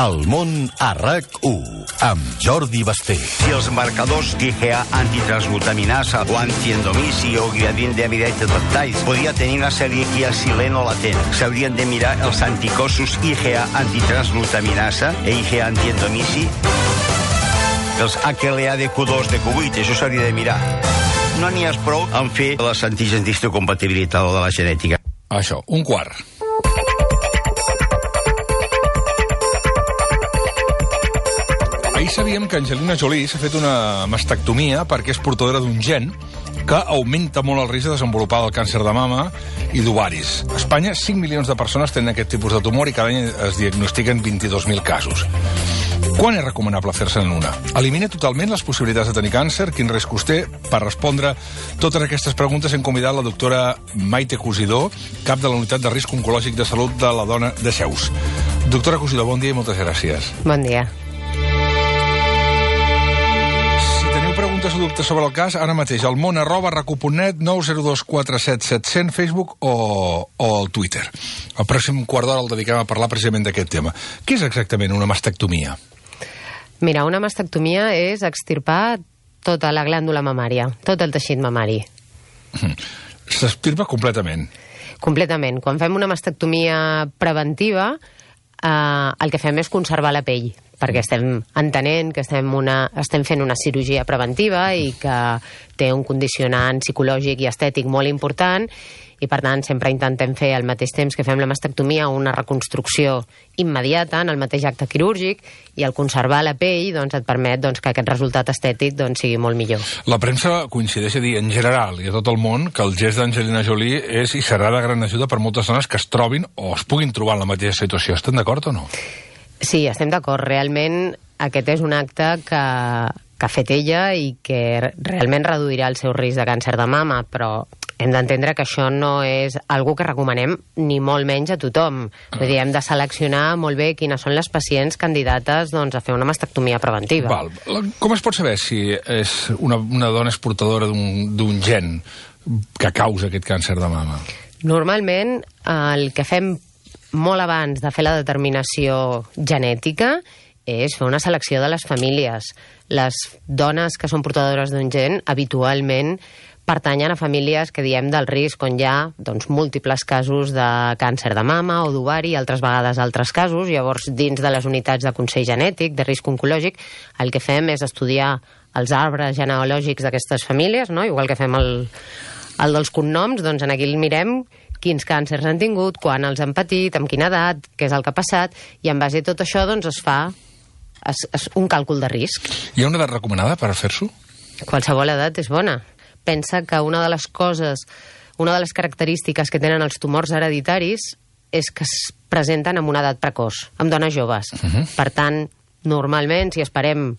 El món a RAC1, amb Jordi Basté. Si els marcadors d'IgA antitransglutaminasa o antiendomisi o gliadin de amidated peptides podria tenir una celiaquia silent o latent, s'haurien de mirar els anticossos IgA antitransglutaminasa i IgA antiendomisi, els HLA de Q2 de Q8, això s'hauria de mirar. No n'hi ha prou en fer les antígens d'histocompatibilitat o de la genètica. Això, un quart. Ahir sabíem que Angelina Jolie s'ha fet una mastectomia perquè és portadora d'un gen que augmenta molt el risc de desenvolupar el càncer de mama i d'ovaris. A Espanya, 5 milions de persones tenen aquest tipus de tumor i cada any es diagnostiquen 22.000 casos. Quan és recomanable fer-se'n una? Elimina totalment les possibilitats de tenir càncer? Quin riscos té? Per respondre totes aquestes preguntes hem convidat la doctora Maite Cosidó, cap de la Unitat de Risc Oncològic de Salut de la Dona de Seus. Doctora Cosidó, bon dia i moltes gràcies. Bon dia. Preguntes o dubtes sobre el cas, ara mateix al món@racu.net, 902 47 700, Facebook o el Twitter. El pròxim quart d'hora el dediquem a parlar precisament d'aquest tema. Què és exactament una mastectomia? Mira, una mastectomia és extirpar tota la glàndula mamària, tot el teixit mamari. S'extirpa completament? Completament. Quan fem una mastectomia preventiva, el que fem és conservar la pell, perquè estem entenent que estem fent una cirurgia preventiva i que té un condicionant psicològic i estètic molt important i, per tant, sempre intentem fer al mateix temps que fem la mastectomia una reconstrucció immediata en el mateix acte quirúrgic i el conservar la pell et permet que aquest resultat estètic sigui molt millor. La premsa coincideix a dir, en general i a tot el món, que el gest d'Angelina Jolie és i serà de gran ajuda per moltes dones que es trobin o es puguin trobar en la mateixa situació. Estan d'acord o no? Sí, estem d'acord. Realment aquest és un acte que ha fet ella i que realment reduirà el seu risc de càncer de mama, però hem d'entendre que això no és algo que recomanem ni molt menys a tothom. Vull dir, hem de seleccionar molt bé quines són les pacients candidates a fer una mastectomia preventiva. Val. Com es pot saber si una dona és portadora d'un gen que causa aquest càncer de mama? Normalment el que fem molt abans de fer la determinació genètica és fer una selecció de les famílies. Les dones que són portadores d'un gen habitualment pertanyen a famílies que diem del risc on hi ha múltiples casos de càncer de mama o d'ovari, altres vegades altres casos. Llavors, dins de les unitats de consell genètic, de risc oncològic, el que fem és estudiar els arbres genealògics d'aquestes famílies, no? Igual que fem el dels cognoms, en aquí el mirem quins càncers han tingut, quan els han patit, amb quina edat, què és el que ha passat, i en base a tot això es fa un càlcul de risc. Hi ha una edat recomanada per fer-s'ho? Qualsevol edat és bona. Pensa que una de les característiques que tenen els tumors hereditaris és que es presenten en una edat precoç, amb dones joves. Per tant, normalment, si esperem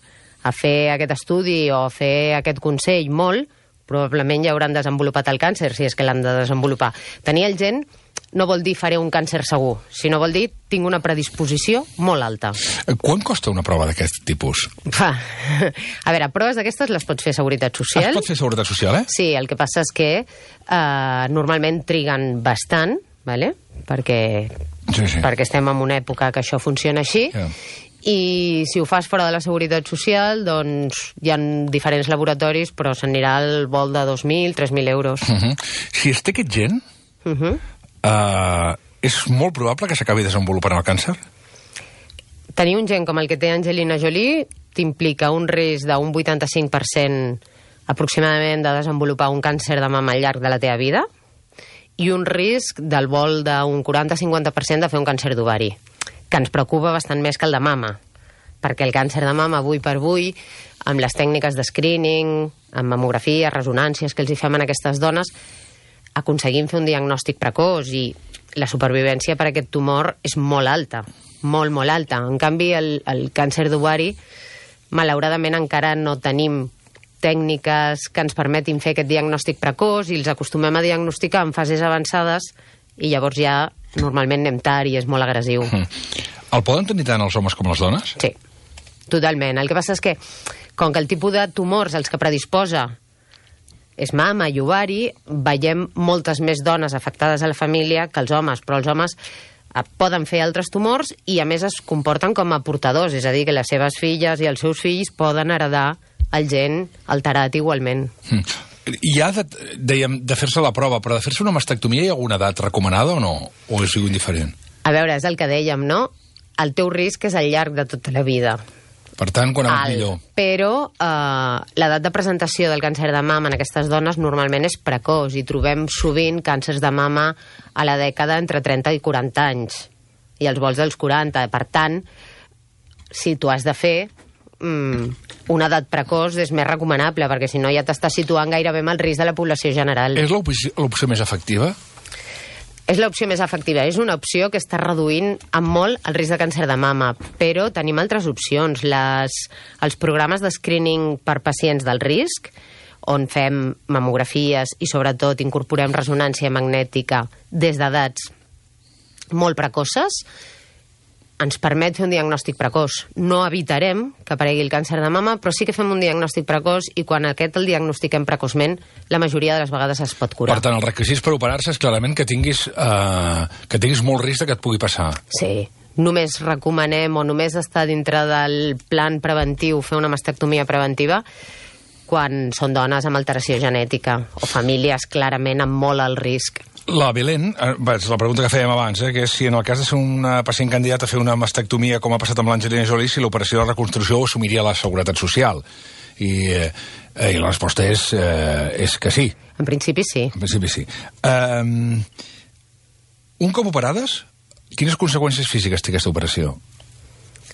a fer aquest estudi o a fer aquest consell molt, probablement ja hauran desenvolupat el càncer, si és que l'han de desenvolupar. Tenir el gen no vol dir faré un càncer segur, sinó vol dir tinc una predisposició molt alta. Quan costa una prova d'aquest tipus? A veure, proves d'aquestes les pots fer a Seguretat Social. Es pot fer a Seguretat Social, eh? Sí, el que passa és que normalment triguen bastant, perquè estem en una època que això funciona així, i si ho fas fora de la Seguretat Social, hi ha diferents laboratoris, però s'anirà al vol de 2.000, 3.000 euros. Si es té aquest gen, és molt probable que s'acabi desenvolupant el càncer? Tenir un gen com el que té Angelina Jolie t'implica un risc d'un 85% aproximadament de desenvolupar un càncer de mama al llarg de la teva vida i un risc del vol d'un 40-50% de fer un càncer d'ovari, que ens preocupa bastant més que el de mama, perquè el càncer de mama, avui per avui, amb les tècniques de screening, amb mamografia, resonàncies que els hi fem a aquestes dones, aconseguim fer un diagnòstic precoç i la supervivència per a aquest tumor és molt alta, molt, molt alta. En canvi, el càncer d'ovari, malauradament encara no tenim tècniques que ens permetin fer aquest diagnòstic precoç i els acostumem a diagnosticar en fases avançades i llavors ja normalment anem tard i és molt agressiu. El poden tenir tant els homes com les dones? Sí, totalment. El que passa és que, com que el tipus de tumors als que predisposa és mama i ovari, veiem moltes més dones afectades a la família que els homes, però els homes poden fer altres tumors i, a més, es comporten com a portadors, és a dir, que les seves filles i els seus fills poden heredar el gen alterat igualment. Hi ha, dèiem, de fer-se la prova, però de fer-se una mastectomia hi ha alguna edat recomanada o no? O és indiferent? A veure, és el que dèiem, no? El teu risc és al llarg de tota la vida. Per tant, quan és millor. Però l'edat de presentació del càncer de mama en aquestes dones normalment és precoç i trobem sovint càncers de mama a la dècada entre 30 i 40 anys i als volts dels 40. Per tant, si tu has de fer una edat precoç és més recomanable, perquè si no ja t'estàs situant gairebé amb el risc de la població general. És l'opció més efectiva? És l'opció més efectiva. És una opció que està reduint en molt el risc de càncer de mama, però tenim altres opcions. Els programes de screening per pacients del risc, on fem mamografies i sobretot incorporem ressonància magnètica des d'edats molt precoces, ens permet fer un diagnòstic precoç. No evitarem que aparegui el càncer de mama, però sí que fem un diagnòstic precoç i quan aquest el diagnostiquem precoçment, la majoria de les vegades es pot curar. Per tant, els requisits per operar-se és clarament que tinguis molt risc que et pugui passar. Sí. Només recomanem o només està dintre del plan preventiu fer una mastectomia preventiva quan són dones amb alteració genètica o famílies clarament amb molt alt risc. La Belén, és la pregunta que fèiem abans, que és si en el cas de ser una pacient candidata a fer una mastectomia, com ha passat amb l'Angelina Jolie, si l'operació de reconstrucció ho assumiria la Seguretat Social. I la resposta és que sí. En principi sí. En principi sí. Un cop operades, quines conseqüències físiques té aquesta operació?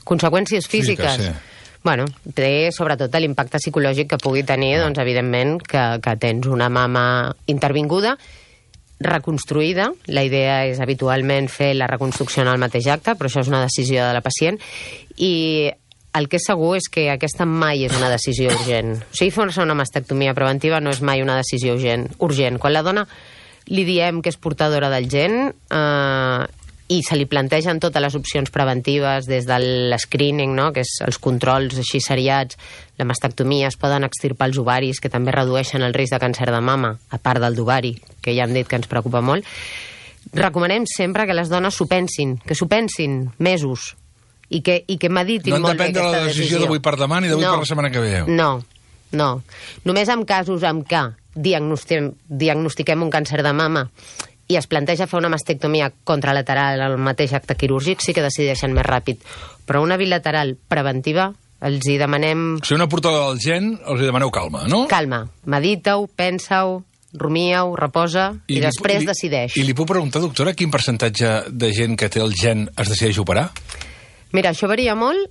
Conseqüències físiques? Sí. Bueno, té sobretot l'impacte psicològic que pugui tenir, doncs, evidentment, que tens una mama intervinguda, reconstruïda. La idea és habitualment fer la reconstrucció en el mateix acte, però això és una decisió de la pacient. I el que és segur és que aquesta mai és una decisió urgent. O sigui, fer una mastectomia preventiva no és mai una decisió urgent. Quan la dona li diem que és portadora del gen i se li plantegen totes les opcions preventives des de l'escreening, no? Que és els controls així seriats, la mastectomia, es poden extirpar els ovaris, que també redueixen el risc de càncer de mama, a part del d'ovari, que ja hem dit que ens preocupa molt. Recomanem sempre que les dones s'ho pensin mesos, i que meditin molt bé aquesta decisió. No han de prendre la decisió d'avui per demà ni d'avui per la setmana que ve. No. Només en casos en què diagnostiquem un càncer de mama i es planteja fer una mastectomia contralateral al mateix acte quirúrgic, sí que decideixen més ràpid. Però una bilateral preventiva, els hi demanem... Si una portadora del gen, els hi demaneu calma, no? Calma. Medita-ho, pensa-ho, rumia-ho, reposa i després decideix. I li puc preguntar, doctora, quin percentatge de gent que té el gen es decideix operar? Mira, això varia molt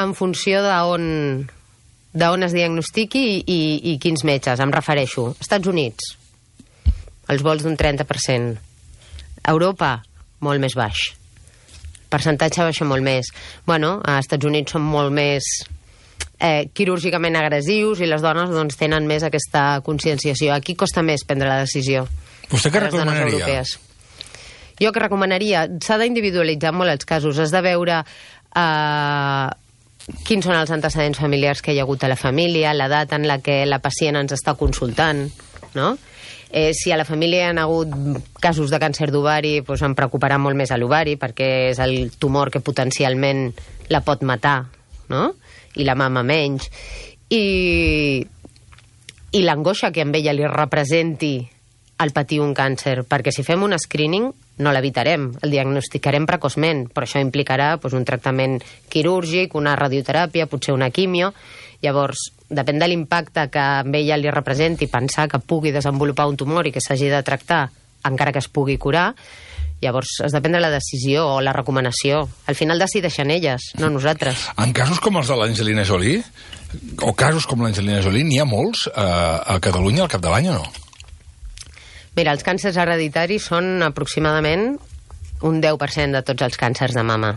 en funció d'on es diagnostiqui i quins metges. Em refereixo. Estats Units, els vols d'un 30%. Europa, molt més baix. Percentatge baixa molt més. Bueno, a Estats Units són molt més quirúrgicament agressius i les dones doncs, tenen més aquesta conscienciació. Aquí costa més prendre la decisió. Vostè què recomanaria? Jo que recomanaria, s'ha d'individualitzar molt els casos. Has de veure quins són els antecedents familiars que hi ha hagut a la família, l'edat en la que la pacient ens està consultant, no? Si a la família hi ha hagut casos de càncer d'ovari, doncs em preocuparà molt més a l'ovari, perquè és el tumor que potencialment la pot matar, no? I la mama menys. I l'angoixa que amb ella li representi el patir un càncer, perquè si fem un screening no l'evitarem, el diagnosticarem precoçment, però això implicarà doncs, un tractament quirúrgic, una radioteràpia, potser una quimio. Llavors, depèn de l'impacte que amb ella li representi pensar que pugui desenvolupar un tumor i que s'hagi de tractar encara que es pugui curar, llavors has de prendre la decisió o la recomanació. Al final decideixen elles, no nosaltres. En casos com els de l'Angelina Jolie, o casos com l'Angelina Jolie, n'hi ha molts a Catalunya al cap de l'any o no? Mira, els càncers hereditaris són aproximadament un 10% de tots els càncers de mama.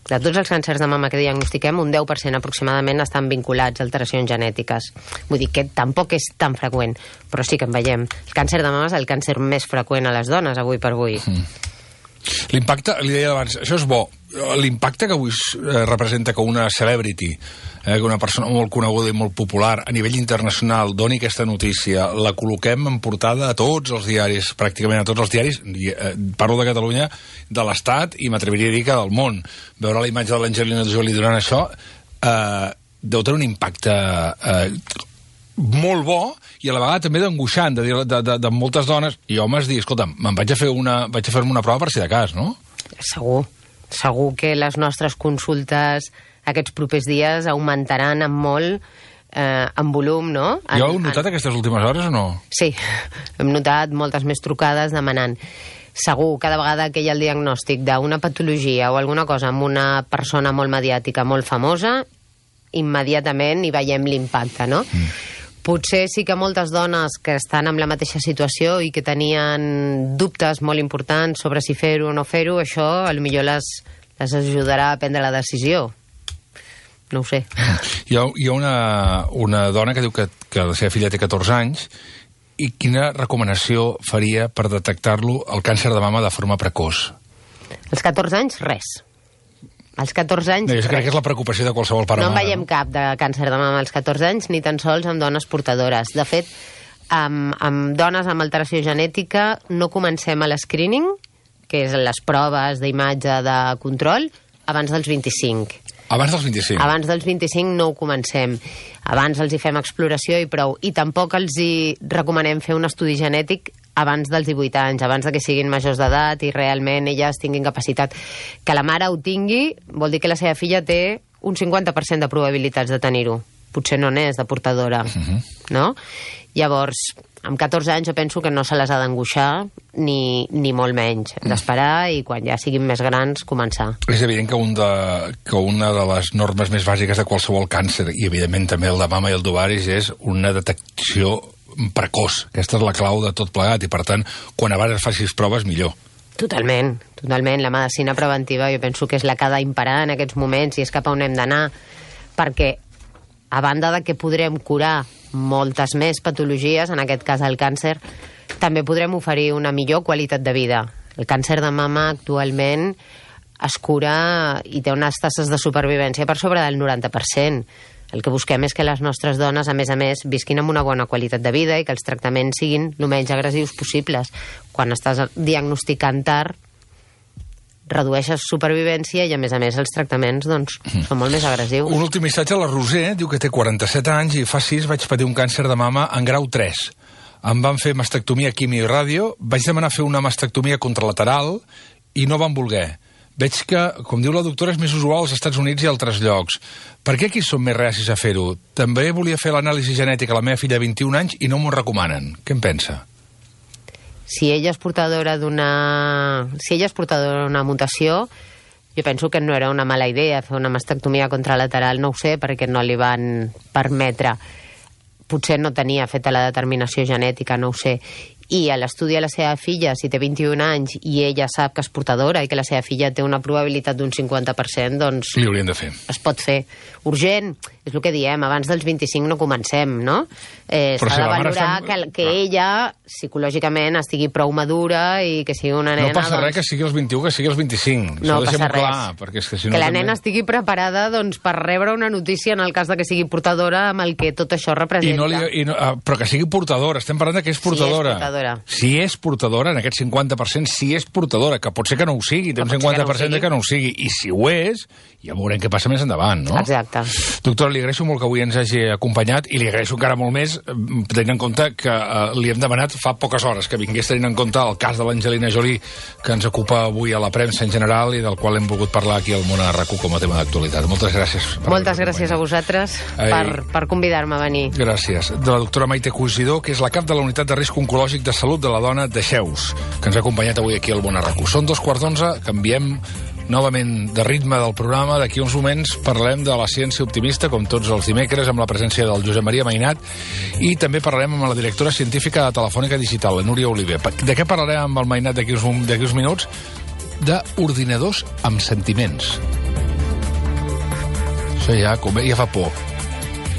De tots els càncers de mama que diagnostiquem, un 10% aproximadament estan vinculats a alteracions genètiques. Vull dir que tampoc és tan freqüent, però sí que en veiem. El càncer de mama és el càncer més freqüent a les dones, avui per avui. L'impacte, li deia abans, això és bo. L'impacte que avui representa que una celebrity, que una persona molt coneguda i molt popular a nivell internacional doni aquesta notícia, la col·loquem en portada a tots els diaris, pràcticament a tots els diaris, parlo de Catalunya, de l'Estat i m'atreviria a dir que del món. Veure la imatge de l'Angelina Jolie durant això deu tenir un impacte molt bo i a la vegada també d'angoixant, de moltes dones i homes dir, escolta'm, vaig a fer-me una prova per si de cas, no? Segur que les nostres consultes aquests propers dies augmentaran en molt en volum, no? Jo heu notat aquestes últimes hores o no? Sí, hem notat moltes més trucades demanant. Segur, cada vegada que hi ha el diagnòstic d'una patologia o alguna cosa amb una persona molt mediàtica, molt famosa, immediatament hi veiem l'impacte, no? Potser sí que moltes dones que estan en la mateixa situació i que tenien dubtes molt importants sobre si fer-ho o no fer-ho, això potser les ajudarà a prendre la decisió. No ho sé. Hi ha una dona que diu que la seva filla té 14 anys i quina recomanació faria per detectar-lo, el càncer de mama, de forma precoç? Als 14 anys, res. Als 14 anys... Jo crec que és la preocupació de qualsevol pare o mare. No en veiem cap de càncer de mama als 14 anys, ni tan sols amb dones portadores. De fet, amb dones amb alteració genètica no comencem a l'escreening, que és les proves d'imatge de control, abans dels 25. Abans dels 25? Abans dels 25 no ho comencem. Abans els hi fem exploració i prou. I tampoc els hi recomanem fer un estudi genètic abans dels 18 anys, abans que siguin majors d'edat i realment elles tinguin capacitat. Que la mare ho tingui vol dir que la seva filla té un 50% de probabilitats de tenir-ho. Potser no n'és de portadora, no? Llavors, amb 14 anys jo penso que no se les ha d'angoixar ni molt menys. Hem d'esperar i quan ja siguin més grans començar. És evident que una de les normes més bàsiques de qualsevol càncer, i evidentment també el de mama i el d'ovaris, és una detecció precoç. Aquesta és la clau de tot plegat i, per tant, quan abans facis proves, millor. Totalment. La medicina preventiva jo penso que és la que ha d'imperar en aquests moments i és cap a on hem d'anar, perquè a banda de que podrem curar moltes més patologies, en aquest cas el càncer, també podrem oferir una millor qualitat de vida. El càncer de mama actualment es cura i té unes tasses de supervivència per sobre del 90%. El que busquem és que les nostres dones, a més, visquin amb una bona qualitat de vida i que els tractaments siguin el menys agressius possibles. Quan estàs diagnosticant tard, redueixes supervivència i, a més, els tractaments són molt més agressius. Un últim missatge a la Roser, diu que té 47 anys i fa 6 vaig patir un càncer de mama en grau 3. Em van fer mastectomia, quimio i ràdio, vaig demanar fer una mastectomia contralateral i no van voler. Veig que, com diu la doctora, és més usual als Estats Units i altres llocs. Per què aquí són més reacis a fer-ho? També volia fer l'anàlisi genètica a la meva filla de 21 anys i no m'ho recomanen. Què en pensa? Si ella és portadora d'una mutació, jo penso que no era una mala idea fer una mastectomia contralateral, no ho sé, perquè no li van permetre. Potser no tenia feta la determinació genètica, no ho sé. I a l'estudi a la seva filla, si té 21 anys i ella sap que és portadora i que la seva filla té una probabilitat d'un 50%, doncs... Li haurien de fer. Es pot fer. Urgent, és el que diem, abans dels 25 no comencem, no? S'ha de valorar que ella, psicològicament, estigui prou madura i que sigui una nena... No passa res que sigui els 21, que sigui els 25. No passa res. Clar, perquè és que si no... Que la nena estigui preparada per rebre una notícia en el cas de que sigui portadora amb el que tot això representa. Però que sigui portadora, estem parlant de que és portadora. Si és portadora, en aquest 50%, si és portadora, que pot ser que no ho sigui, té un 50% que no ho sigui, i si ho és, ja veurem què passa més endavant, no? Exacte. Doctora, li agraeixo molt que avui ens hagi acompanyat i li agraeixo encara molt més, tenint en compte que li hem demanat fa poques hores que vingués tenint en compte el cas de l'Angelina Jolie, que ens ocupa avui a la premsa en general i del qual hem volgut parlar aquí al Món a RAC1 com a tema d'actualitat. Moltes gràcies. Moltes gràcies a vosaltres per convidar-me a venir. Gràcies. De la doctora Maite Cosidó, que és la cap de la Unitat de Risc Oncològic de Salut de la Dona de Xeus, que ens ha acompanyat avui aquí al Món a RAC1. Són 2:15, canviem novament de ritme del programa. D'aquí uns moments parlem de la ciència optimista, com tots els dimecres, amb la presència del Josep Maria Mainat, i també parlarem amb la directora científica de Telefònica Digital, la Núria Oliver. De què parlarem amb el Mainat d'aquí uns minuts? D'ordinadors amb sentiments. Això ja fa por.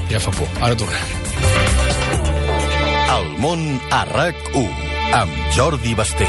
Ja fa por. Ara tornem. El Món a RAC1 amb Jordi Basté.